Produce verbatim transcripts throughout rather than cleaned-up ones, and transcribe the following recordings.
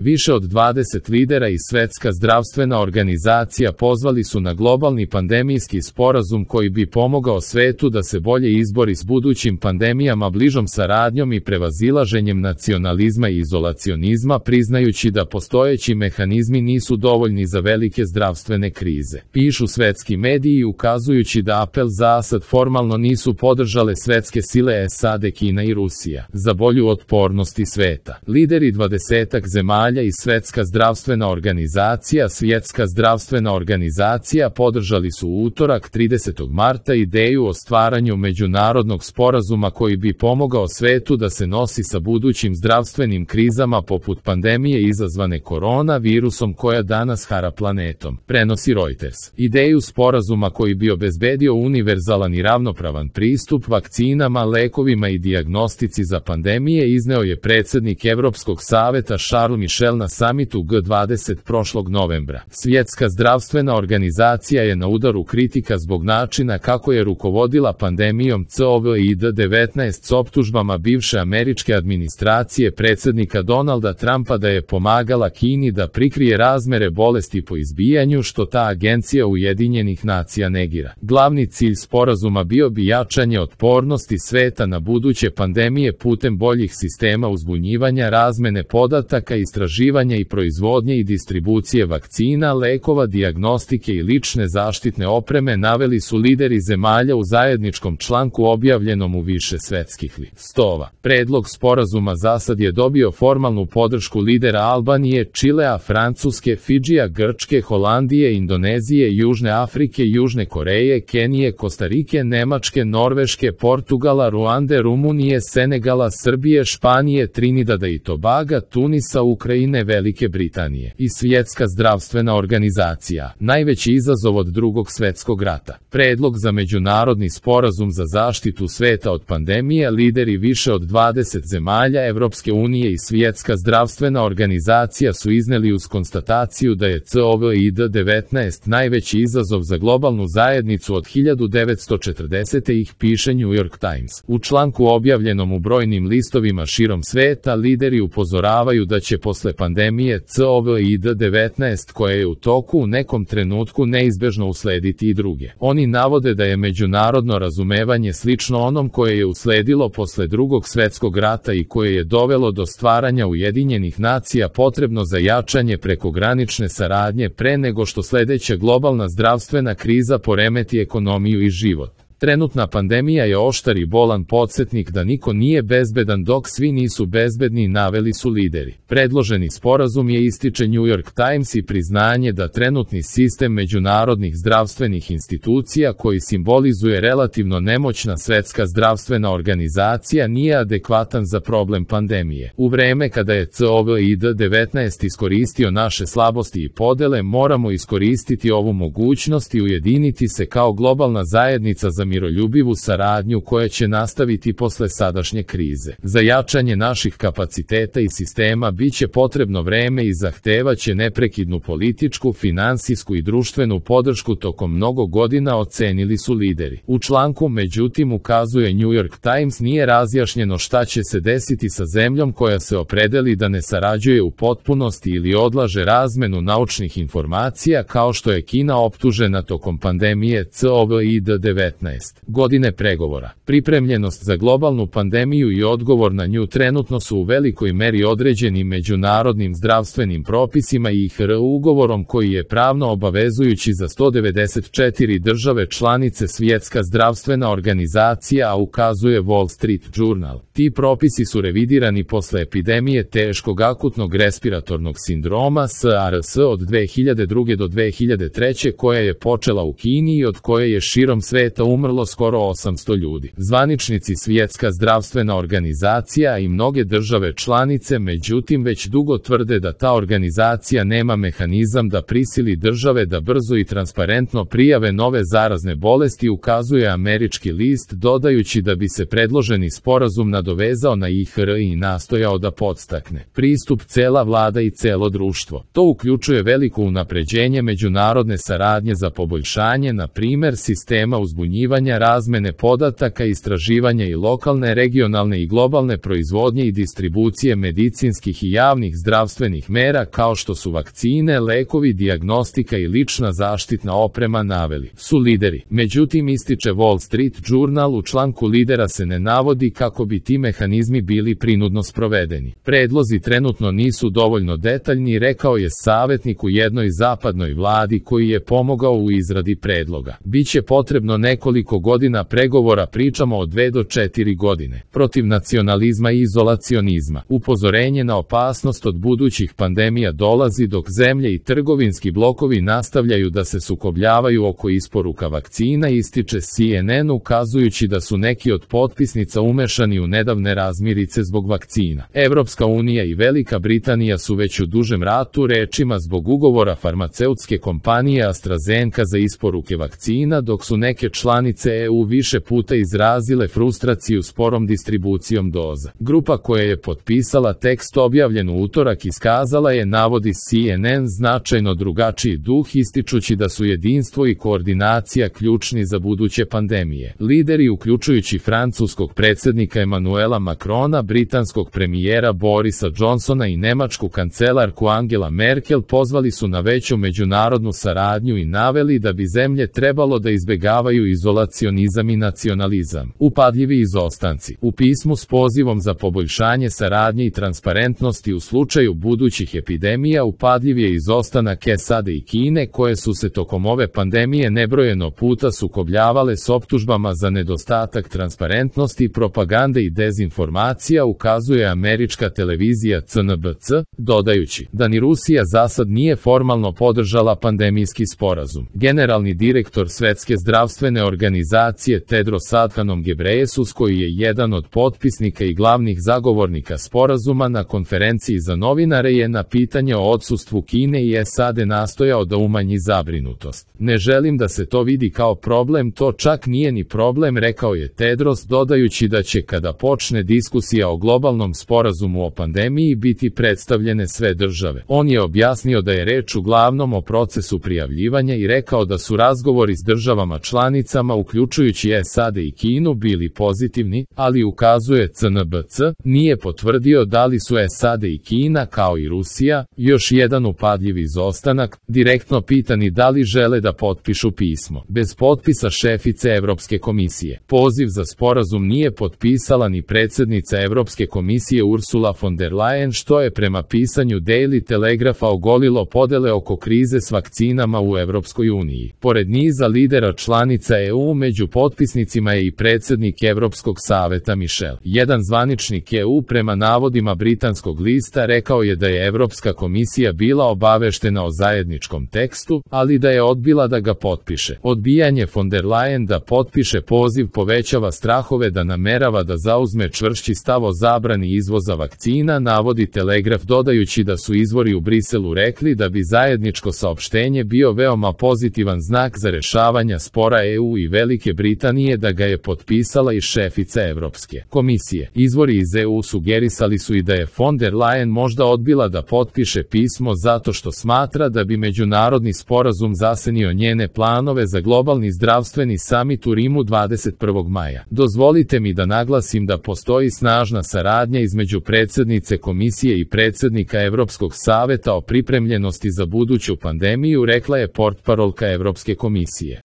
Više od dvadeset lidera i Svetska zdravstvena organizacija pozvali su na globalni pandemijski sporazum koji bi pomogao svetu da se bolje izbori s budućim pandemijama bližom saradnjom i prevazilaženjem nacionalizma i izolacionizma, priznajući da postojeći mehanizmi nisu dovoljni za velike zdravstvene krize. Pišu svetski mediji ukazujući da apel za sad formalno nisu podržale svetske sile S A D, Kina i Rusija za bolju otpornosti sveta. Lideri dvadesetak zemalja i Svetska zdravstvena organizacija Svjetska zdravstvena organizacija podržali su u utorak tridesetog marta ideju o stvaranju međunarodnog sporazuma koji bi pomogao svetu da se nosi sa budućim zdravstvenim krizama poput pandemije izazvane korona virusom koja danas hara planetom, prenosi Reuters. Ideju sporazuma koji bi obezbedio univerzalan i ravnopravan pristup vakcinama, lekovima i dijagnostici za pandemije izneo je predsjednik Evropskog saveta Charles Michel na samitu G dvadeset prošlog novembra. Svjetska zdravstvena organizacija je na udaru kritika zbog načina kako je rukovodila pandemijom COVID devetnaest s optužbama bivše američke administracije predsjednika Donalda Trumpa da je pomagala Kini da prikrije razmere bolesti po izbijanju, što ta agencija Ujedinjenih nacija negira. Glavni cilj sporazuma bio bi jačanje otpornosti sveta na buduće pandemije putem boljih sistema uzbunjivanja, razmene podataka, istraživanja i proizvodnje i distribucije vakcina, lekova, dijagnostike i lične zaštitne opreme, naveli su lideri zemalja u zajedničkom članku objavljenom u više svetskih listova. Predlog sporazuma zasad je dobio formalnu podršku lidera Albanije, Čilea, Francuske, Fidžija, Grčke, Holandije, Indonezije, Južne Afrike, Južne Koreje, Kenije, Kostarike, Nemačke, Norveške, Portugala, Ruande, Rumunije, Senegala, Srbije, Španije, Trinidada i Tobaga, Tunisa, Ukrajine, Velike Britanije i Svjetska zdravstvena organizacija. Najveći izazov od drugog svjetskog rata. Predlog za međunarodni sporazum za zaštitu sveta od pandemije lideri više od dvadeset zemalja Evropske unije i Svjetska zdravstvena organizacija su izneli uz konstataciju da je COVID devetnaest najveći izazov za globalnu zajednicu od hiljadu devetsto četrdesete ih piše New York Times. U članku objavljenom u brojnim listovima širom sveta lideri upozoravaju da će posle pandemije COVID devetnaest koja je u toku u nekom trenutku neizbežno uslediti i druge. Oni navode da je međunarodno razumevanje slično onom koje je usledilo posle drugog svjetskog rata i koje je dovelo do stvaranja Ujedinjenih nacija potrebno za jačanje prekogranične saradnje pre nego što sledeća globalna zdravstvena kriza poremeti ekonomiju i život. Trenutna pandemija je oštar i bolan podsjetnik da niko nije bezbedan dok svi nisu bezbedni, naveli su lideri. Predloženi sporazum je, ističe New York Times, i priznanje da trenutni sistem međunarodnih zdravstvenih institucija koji simbolizuje relativno nemoćna Svetska zdravstvena organizacija nije adekvatan za problem pandemije. U vreme kada je COVID devetnaest iskoristio naše slabosti i podele, moramo iskoristiti ovu mogućnost i ujediniti se kao globalna zajednica za miroljubivu saradnju koja će nastaviti posle sadašnje krize. Za jačanje naših kapaciteta i sistema biće potrebno vreme i zahtevaće neprekidnu političku, finansijsku i društvenu podršku tokom mnogo godina, ocenili su lideri. U članku međutim ukazuje New York Times nije razjašnjeno šta će se desiti sa zemljom koja se opredeli da ne sarađuje u potpunosti ili odlaže razmenu naučnih informacija kao što je Kina optužena tokom pandemije COVID devetnaest. Godine pregovora. Pripremljenost za globalnu pandemiju i odgovor na nju trenutno su u velikoj meri određeni međunarodnim zdravstvenim propisima i I H R ugovorom koji je pravno obavezujući za sto devedeset četiri države članice Svjetska zdravstvena organizacija, a ukazuje Wall Street Journal. Ti propisi su revidirani posle epidemije teškog akutnog respiratornog sindroma SARS od dve hiljade druge do dve hiljade treće koja je počela u Kini i od koje je širom sveta umrlo skoro osamsto ljudi. Zvaničnici Svjetska zdravstvena organizacija i mnoge države članice međutim već dugo tvrde da ta organizacija nema mehanizam da prisili države da brzo i transparentno prijave nove zarazne bolesti, ukazuje američki list, dodajući da bi se predloženi sporazum nadovezao na I H R i nastojao da podstakne pristup cela vlada i celo društvo. To uključuje veliko unapređenje međunarodne saradnje za poboljšanje, na primer, sistema uzbunjivanja istraživanja, razmene podataka, istraživanja i lokalne, regionalne i globalne proizvodnje i distribucije medicinskih i javnih zdravstvenih mera kao što su vakcine, lekovi, dijagnostika i lična zaštitna oprema naveli su lideri. Međutim, ističe Wall Street Journal, u članku lidera se ne navodi kako bi ti mehanizmi bili prinudno sprovedeni. Predlozi trenutno nisu dovoljno detaljni, rekao je savjetnik u jednoj zapadnoj vladi koji je pomogao u izradi predloga. Biće potrebno nekoliko godina pregovora, pričamo o dve do četiri godine. Protiv nacionalizma i izolacionizma. Upozorenje na opasnost od budućih pandemija dolazi dok zemlje i trgovinski blokovi nastavljaju da se sukobljavaju oko isporuka vakcina, ističe C N N, ukazujući da su neki od potpisnica umešani u nedavne razmirice zbog vakcina. Evropska unija i Velika Britanija su već u dužem ratu, rečima zbog ugovora farmaceutske kompanije AstraZeneca za isporuke vakcina, dok su neke članice E U više puta izrazile frustraciju sporom distribucijom doza. Grupa koja je potpisala tekst objavljen u utorak iskazala je, navodi C N N, značajno drugačiji duh, ističući da su jedinstvo i koordinacija ključni za buduće pandemije. Lideri, uključujući francuskog predsjednika Emmanuela Macrona, britanskog premijera Borisa Johnsona i nemačku kancelarku Angela Merkel, pozvali su na veću međunarodnu saradnju i naveli da bi zemlje trebalo da izbegavaju izolacionizam i nacionalizam. Upadljivi izostanci. U pismu s pozivom za poboljšanje saradnje i transparentnosti u slučaju budućih epidemija, upadljiv je izostanak S A D i Kine, koje su se tokom ove pandemije nebrojeno puta sukobljavale s optužbama za nedostatak transparentnosti, propagande i dezinformacija, ukazuje američka televizija C N B C, dodajući da ni Rusija zasad nije formalno podržala pandemijski sporazum. Generalni direktor Svetske zdravstvene organizacije Tedros Adhanom Ghebreyesus, koji je jedan od potpisnika i glavnih zagovornika sporazuma, na konferenciji za novinare je na pitanje o odsustvu Kine i S A D nastojao da umanji zabrinutost. Ne želim da se to vidi kao problem, to čak nije ni problem, rekao je Tedros, dodajući da će kada počne diskusija o globalnom sporazumu o pandemiji biti predstavljene sve države. On je objasnio da je reč uglavnom o procesu prijavljivanja i rekao da su razgovori s državama članicama, uključujući S A D i Kinu, bili pozitivni, ali, ukazuje C N B C, nije potvrdio da li su S A D i Kina, kao i Rusija, još jedan upadljiv izostanak, direktno pitani da li žele da potpišu pismo. Bez potpisa šefice Evropske komisije. Poziv za sporazum nije potpisala ni predsjednica Evropske komisije Ursula von der Leyen, što je prema pisanju Daily Telegrapha ogolilo podele oko krize s vakcinama u Evropskoj uniji. Pored niza lidera članica E U, među potpisnicima je i predsjednik Evropskog saveta Michel. Jedan zvaničnik E U, prema navodima britanskog lista, rekao je da je Evropska komisija bila obaveštena o zajedničkom tekstu, ali da je odbila da ga potpiše. Odbijanje von der Leyen da potpiše poziv povećava strahove da namerava da zauzme čvršći stav o zabrani izvoza vakcina, navodi Telegraf, dodajući da su izvori u Briselu rekli da bi zajedničko saopštenje bio veoma pozitivan znak za rešavanje spora E U i Velike Britanije, da ga je potpisala i šefica Evropske komisije. Izvori iz E U sugerisali su i da je von der Leyen možda odbila da potpiše pismo zato što smatra da bi međunarodni sporazum zasenio njene planove za globalni zdravstveni samit u Rimu dvadeset prvog maja. Dozvolite mi da naglasim da postoji snažna saradnja između predsjednice komisije i predsjednika Evropskog saveta o pripremljenosti za buduću pandemiju, rekla je portparolka Evropske komisije.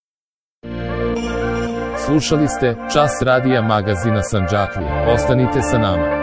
Slušali ste Čas radija magazina Sandžaklija. Ostanite sa nama.